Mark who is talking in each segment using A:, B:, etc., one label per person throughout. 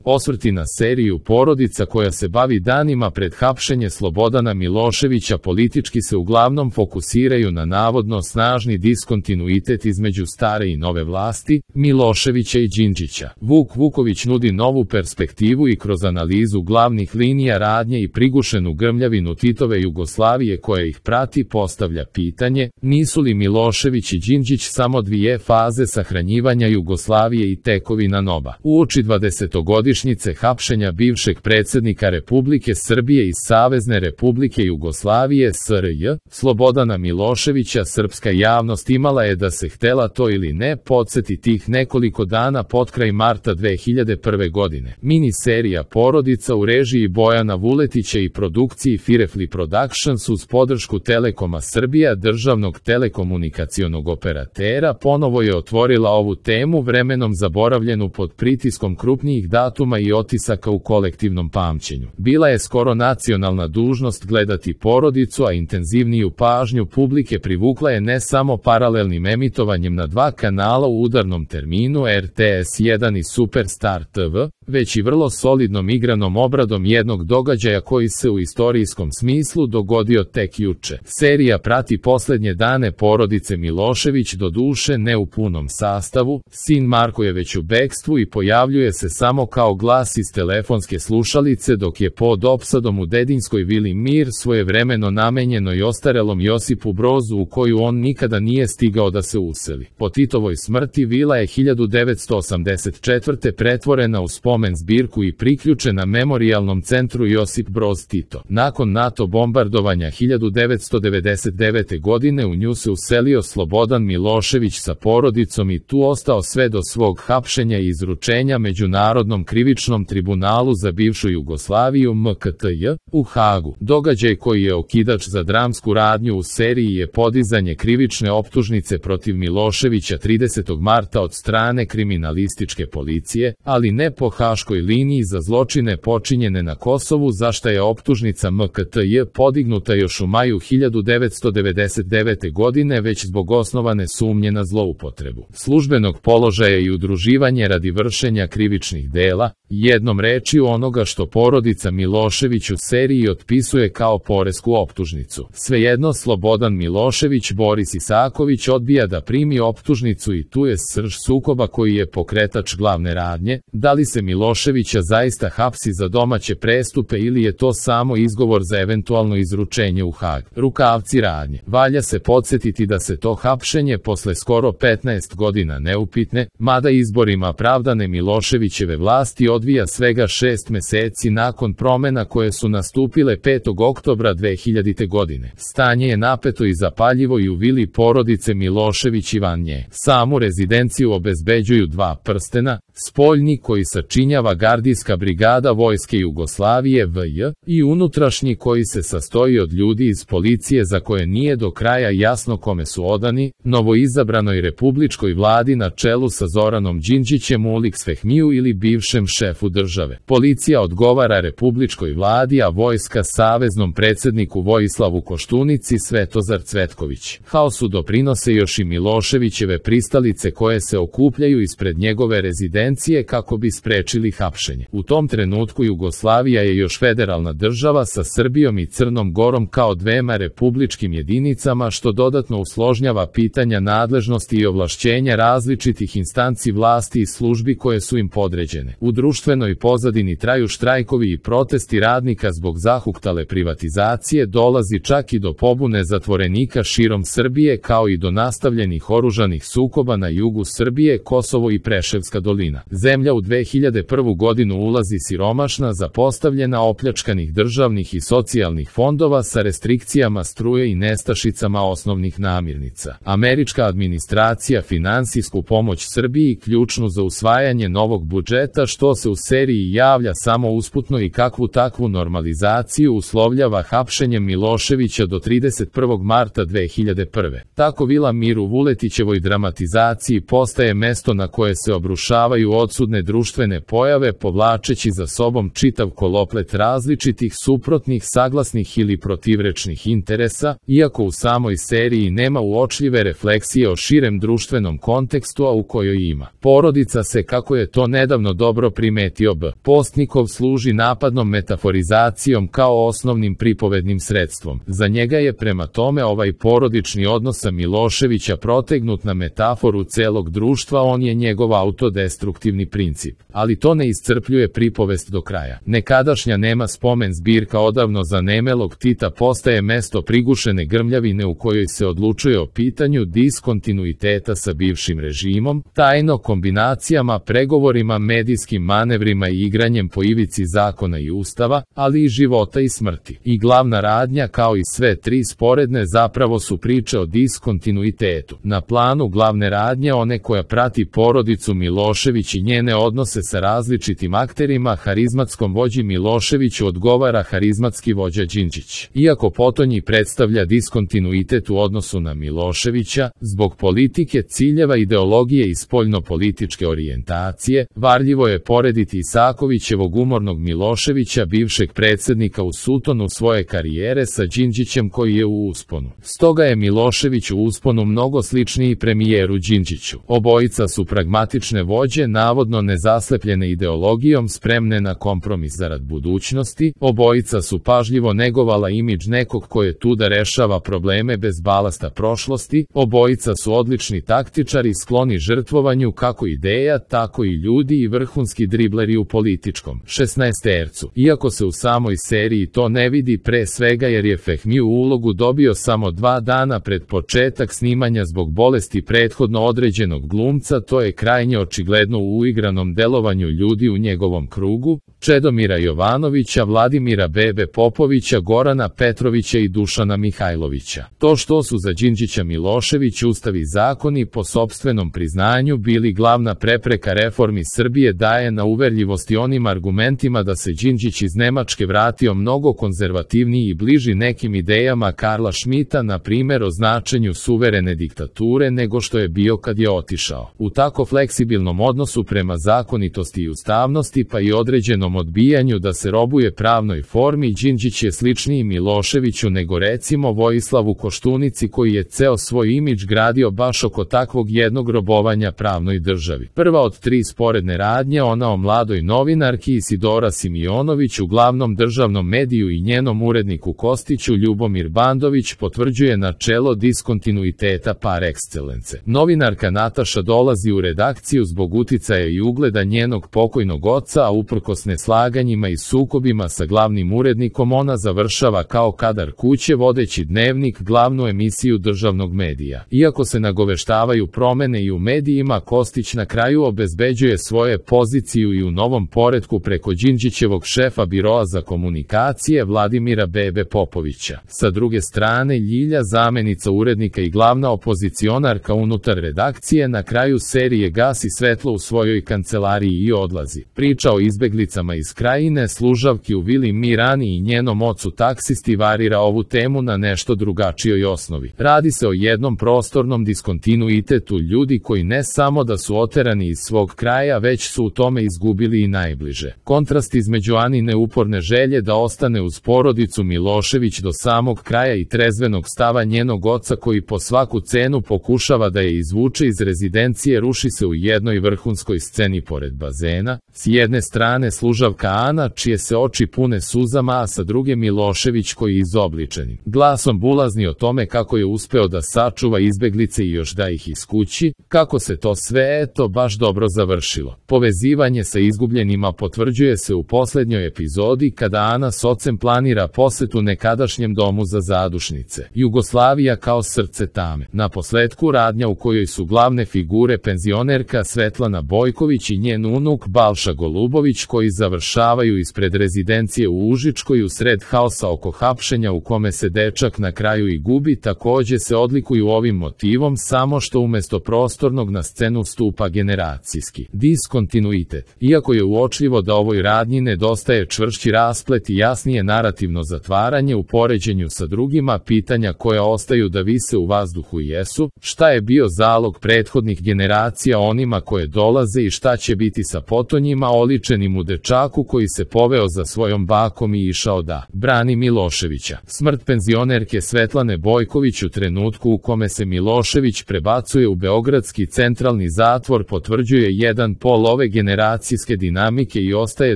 A: Osvrti na seriju Porodica koja se bavi danima pred hapšenje Slobodana Miloševića politički se uglavnom fokusiraju na navodno snažni diskontinuitet između stare i nove vlasti, Miloševića i Đinđića. Vuk Vuković nudi novu perspektivu i kroz analizu glavnih linija radnje i prigušenu grmljavinu Titove Jugoslavije koja ih prati postavlja pitanje, nisu li Milošević i Đinđić samo dvije faze sahranjivanja Jugoslavije i tekovina NOB-a. Uoči 20-godišnjice hapšenja bivšeg predsjednika Republike Srbije iz Savezne Republike Jugoslavije SRJ, Slobodana Miloševića, srpska javnost imala je, da se htela to ili ne, podsjeti tih nekoliko dana potkraj marta 2001. godine. Miniserija Porodica u režiji Bojana Vuletića i produkciji Firefly Productions uz podršku Telekoma Srbija, državnog telekomunikacionog operatera, ponovo je otvorila ovu temu vremenom zaboravljenu pod pritiskom krupnijih datuma i otisaka u kolektivnom pamćenju. Bila je skoro nacionalna dužnost gledati Porodicu, a intenzivniju pažnju publike privukla je ne samo paralelnim emitovanjem na dva kanala u udarnom terminu RTS 1 i Superstar TV, već i vrlo solidnom igranom obradom jednog događaja koji se u istorijskom smislu dogodio tek juče. Serija prati posljednje dane porodice Milošević, doduše ne u punom sastavu, sin Marko je već u bekstvu i pojavljuje se samo kao glas iz telefonske slušalice, dok je pod opsadom u Dedinskoj vili Mir, svojevremeno namenjenoj ostarelom Josipu Brozu u koju on nikada nije stigao da se useli. Po Titovoj smrti vila je 1984. pretvorena u spomen zbirku i priključena Memorijalnom centru Josip Broz Tito. Nakon NATO bombardovanja 1999. godine u nju se uselio Slobodan Milošević sa porodicom i tu ostao sve do svog hapšenja i izručenja Međunarodnom krivičnom tribunalu za bivšu Jugoslaviju MKTJ u Hagu. Događaj koji je okidač za dramsku radnju u seriji je podizanje krivične optužnice protiv Miloševića 30. marta od strane kriminalističke policije, ali ne po haškoj liniji za zločine počinjene na Kosovu, za šta je optužnica MKTJ podignuta još u maju 1999. godine, već zbog osnovane sumnje na zloupotrebu službenog položaja i udruživanje radi vršenja krivičnih dela, jednom rečju onoga što porodica Milošević u seriji otpisuje kao poresku optužnicu. Svejedno, Slobodan Milošević, Boris Isaković odbija da primi optužnicu i tu je srž sukoba koji je pokretač glavne radnje, da li se Miloševića zaista hapsi za domaće prestupe ili je to samo izgovor za eventualno izručenje u Hag. Rukavci radnje. Valja se podsjetiti da se to hapšenje posle skoro 15 godina neupitne, mada izborima pravdane Miloševićeve vlasti odvija svega 6 meseci nakon promena koje su nastupile 5. oktobra 2000. godine. Stanje je napeto i zapaljivo i u vili porodice Milošević i van nje. Samu rezidenciju obezbeđuju dva prstena, spoljni koji sačinjava gardijska brigada Vojske Jugoslavije VJ i unutrašnji koji se sastoji od ljudi iz policije za koje nije do kraja jasno kome su odani, novoizabranoj republičkoj vladi na čelu sa Zoranom Đinđićem Uliks Fehmiju ili bivšem šefu države. Policija odgovara republičkoj vladi, a vojska saveznom predsjedniku Vojislavu Koštunici Svetozar Cvetković. Haosu doprinose još i Miloševićeve pristalice koje se okupljaju ispred njegove rezidencije kako bi sprečili hapšenje. U tom trenutku Jugoslavija je još federalna država sa Srbijom i Crnom Gorom kao dvema republičkim jedinicama, što dodatno usložnjava pitanja nadležnosti i ovlašćenja različitih instanci vlasti i službi koje su im podređene. U društvenoj pozadini traju štrajkovi i protesti radnika zbog zahuktale privatizacije, dolazi čak i do pobune zatvorenika širom Srbije kao i do nastavljenih oružanih sukoba na jugu Srbije, Kosovo i Preševska dolina. Zemlja u 2001. godinu ulazi siromašna, zapostavljena, opljačkanih državnih i socijalnih fondova sa restrikcijama struje i nestašicama osnovnih namirnica. Američka administracija finansijsku pomoć Srbiji ključnu za usvajanje novog budžeta, što se u seriji javlja samo usputno i kakvu takvu normalizaciju uslovljava hapšenjem Miloševića do 31. marta 2001. Tako vila Mir u Vuletićevoj dramatizaciji postaje mesto na koje se obrušavaju odsudne društvene pojave, povlačeći za sobom čitav koloplet različitih suprotnih, saglasnih ili protivrečnih interesa, iako u samoj seriji nema uočljive refleksije o širem društvenom kontekstu, a u kojoj ima. Porodica se, kako je to nedavno dobro dobro primetio B. Postnikov služi napadnom metaforizacijom kao osnovnim pripovednim sredstvom. Za njega je prema tome ovaj porodični odnos sa Miloševića protegnut na metaforu celog društva, on je njegov autodestruktivni princip. Ali to ne iscrpljuje pripovest do kraja. Nekadašnja nema spomen zbirka odavno zanemelog Tita postaje mesto prigušene grmljavine u kojoj se odlučuje o pitanju diskontinuiteta sa bivšim režimom, tajno kombinacijama, pregovorima, medijskim manevrima i igranjem po ivici zakona i ustava, ali i života i smrti. I glavna radnja, kao i sve tri sporedne, zapravo su priče o diskontinuitetu. Na planu glavne radnje, one koja prati porodicu Milošević i njene odnose sa različitim akterima, harizmatskom vođi Miloševiću odgovara harizmatski vođa Đinđić. Iako potonji predstavlja diskontinuitet u odnosu na Miloševića, zbog politike, ciljeva, ideologije i spoljno-političke orijentacije, varljivo je porediti Isakovićevog umornog Miloševića, bivšeg predsjednika u sutonu svoje karijere, sa Đinđićem koji je u usponu. Stoga je Milošević u usponu mnogo sličniji premijeru Đinđiću. Obojica su pragmatične vođe, navodno nezaslepljene ideologijom, spremne na kompromis zarad budućnosti. Obojica su pažljivo negovala imidž nekog ko je tu da rešava probleme bez balasta prošlosti. Obojica su odlični taktičari, skloni žrtvovanju kako ideja, tako i ljudi, i vrhunski dribleri u političkom 16-tercu. Iako se u samoj seriji to ne vidi, pre svega jer je Fehmi u ulogu dobio samo 2 dana pred početak snimanja zbog bolesti prethodno određenog glumca, to je krajnje očigledno u uigranom delovanju ljudi u njegovom krugu, Čedomira Jovanovića, Vladimira Bebe Popovića, Gorana Petrovića i Dušana Mihajlovića. To što su za Đinđića Milošević ustav i zakoni po sopstvenom priznanju bili glavna prepreka reformi Srbije daje na uverljivosti onim argumentima da se Đinđić iz Nemačke vratio mnogo konzervativniji i bliži nekim idejama Karla Šmita, na primjer o značenju suverene diktature, nego što je bio kad je otišao. U tako fleksibilnom odnosu prema zakonitosti i ustavnosti, pa i određenom odbijanju da se robuje pravnoj formi, Đinđić je sličniji Miloševiću nego recimo Vojislavu Koštunici, koji je ceo svoj imidž gradio baš oko takvog jednog robovanja pravnoj državi. Prva od 3 sporedne radnje, ona o mladoj novinarki Isidora Simionović u glavnom državnom mediju i njenom uredniku Kostiću, Ljubomir Bandović, potvrđuje načelo diskontinuiteta par excellence. Novinarka Nataša dolazi u redakciju zbog uticaja i ugleda njenog pokojnog oca, a uprkos neslaganjima i sukobima sa glavnim urednikom ona završava kao kadar kuće, vodeći dnevnik, glavnu emisiju državnog medija. Iako se nagoveštavaju promene i u medijima, Kostić na kraju obezbeđuje svoje poziciju i u novom poretku preko Đinđićevog šefa biroa za komunikacije Vladimira Bebe Popovića. Sa druge strane, Ljilja, zamenica urednika i glavna opozicionarka unutar redakcije, na kraju serije gasi svetlo u svojoj kancelariji i odlazi. Priča o izbeglicama iz Krajine, služavki u vili Mirani i njenom ocu taksisti varira ovu temu na nešto drugačijoj osnovi. Radi se o jednom prostornom diskontinuitetu ljudi koji ne samo da su oterani iz svog kraja, već su u tome izgubili i najbliže. Kontrast između Anine uporne želje da ostane uz porodicu Milošević do samog kraja i trezvenog stava njenog oca koji po svaku cenu pokušava da je izvuče iz rezidencije, ruši se u jednoj vrhunskoj sceni pored bazena. S jedne strane služavka Ana, čije se oči pune suzama, a sa druge Milošević koji je izobličenim glasom bulazni o tome kako je uspeo da sačuva izbeglice i još da ih iskući, kako se to sve baš dobro završilo. Povezivanje sa izgubljenima potvrđuje se u posljednjoj epizodi kada Ana s ocem planira posetu nekadašnjem domu za zadušnice. Jugoslavija kao srce tame. Na posledku radnja u kojoj su glavne figure penzionerka Svetlana Bojković i njen unuk Balša Golubović, koji završavaju ispred rezidencije u Užičkoj usred haosa oko hapšenja u kome se dečak na kraju i gubi, takođe se odlikuju ovim motivom, samo što umesto prostornog na scenu stupa generacijski diskontinuitet. Iako je uočljivo da ovoj radnji nedostaje čvršći rasplet i jasnije narativno zatvaranje u poređenju sa drugima, pitanja koja ostaju da vise u vazduhu jesu: šta je bio zalog prethodnih generacija onima koje dolaze i šta će biti sa potonjima oličenim u dečaku koji se poveo za svojom bakom i išao da brani Miloševića. Smrt penzionerke Svetlane Bojković u trenutku u kome se Milošević prebacuje u beogradski centralni zatvor potvrđuje jedan pol ove generacije generacijske dinamike i ostaje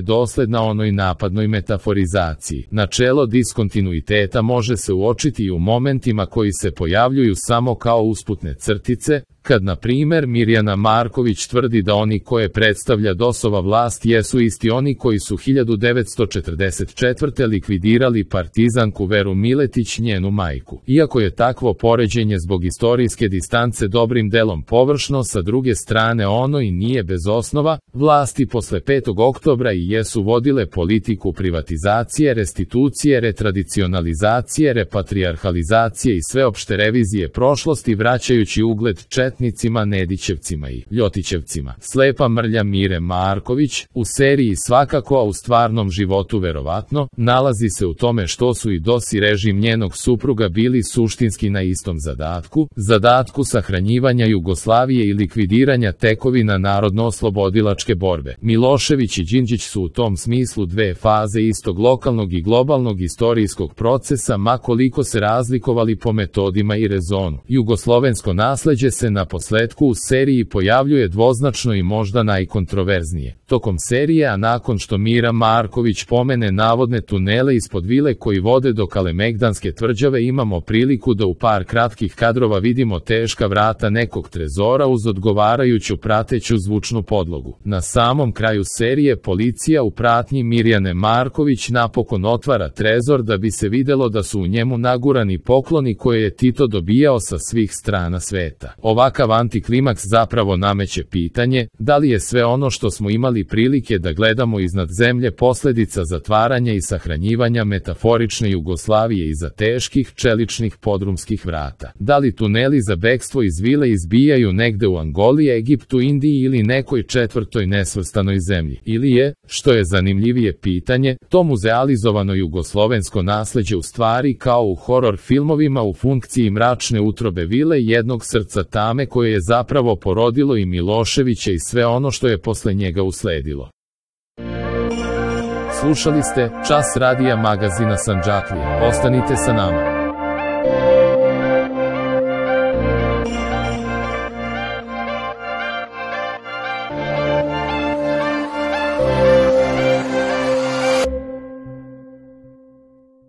A: dosledna onoj napadnoj metaforizaciji. Načelo diskontinuiteta može se uočiti i u momentima koji se pojavljuju samo kao usputne crtice, kad na primer Mirjana Marković tvrdi da oni koje predstavlja DOS-ova vlast jesu isti oni koji su 1944. likvidirali partizanku Veru Miletić, njenu majku. Iako je takvo poređenje zbog istorijske distance dobrim delom površno, sa druge strane ono i nije bez osnova, vlasti posle 5. oktobra i jesu vodile politiku privatizacije, restitucije, retradicionalizacije, repatrijarhalizacije i sveopšte revizije prošlosti, vraćajući ugled četnicima, Nedićevcima i Ljotićevcima. Slepa mrlja Mire Marković, u seriji svakako, a u stvarnom životu verovatno, nalazi se u tome što su i DOS i režim njenog supruga bili suštinski na istom zadatku sahranjivanja Jugoslavije i likvidiranja tekovina narodno-oslobodilačke borbe. Milošević i Đinđić su u tom smislu dve faze istog lokalnog i globalnog istorijskog procesa, ma koliko se razlikovali po metodima i rezonu. Jugoslovensko nasleđe se na posledku u seriji pojavljuje dvoznačno i možda najkontroverznije. Tokom serije, a nakon što Mira Marković pomene navodne tunele ispod vile koji vode do Kalemegdanske tvrđave, imamo priliku da u par kratkih kadrova vidimo teška vrata nekog trezora uz odgovarajuću prateću zvučnu podlogu. Na samom kraju serije policija u pratnji Mirjane Marković napokon otvara trezor da bi se videlo da su u njemu nagurani pokloni koje je Tito dobijao sa svih strana sveta. Ovakav antiklimaks zapravo nameće pitanje, da li je sve ono što smo imali prilike da gledamo iznad zemlje posledica zatvaranja i sahranjivanja metaforične Jugoslavije iza teških čeličnih podrumskih vrata. Da li tuneli za bekstvo iz vile izbijaju negde u Angoli, Egiptu, Indiji ili nekoj četvrtoj nesvrstanoj zemlji? Ili je, što je zanimljivije pitanje, to muzealizovano jugoslovensko nasleđe u stvari kao u horor filmovima u funkciji mračne utrobe vile jednog srca tame koje je zapravo porodilo i Miloševića i sve ono što je posle njega usledilo. Slušali ste Čas radija magazina Sandžaklija. Ostanite sa nama.